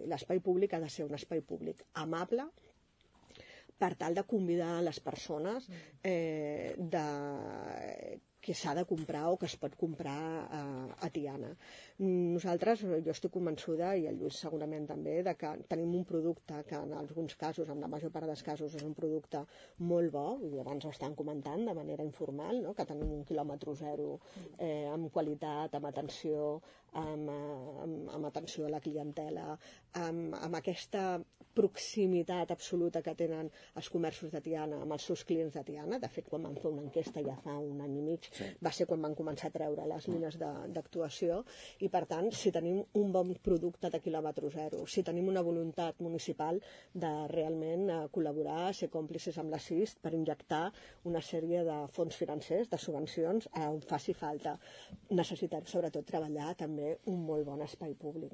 L'espai públic ha de ser un espai públic amable, per tal de convidar les persones que s'ha de comprar o que es pot comprar a Tiana. Nosaltres, jo estic convençuda, i el Lluís segurament també, de que tenim un producte que en alguns casos, en la major part dels casos, és un producte molt bo, i abans ho estan comentant de manera informal, no? Que tenim un quilòmetre zero amb qualitat, amb atenció, amb atenció a la clientela, amb aquesta proximitat absoluta que tenen els comerços de Tiana amb els seus clients de Tiana. De fet, quan van fer una enquesta ja fa un any i mig, va ser quan van començar a treure les línies d'actuació, i per tant, si tenim un bon producte de quilòmetre zero, si tenim una voluntat municipal de realment col·laborar, ser còmplices amb la CIST per injectar una sèrie de fons financers, de subvencions on faci falta, necessitem sobretot treballar també un molt bon espai públic.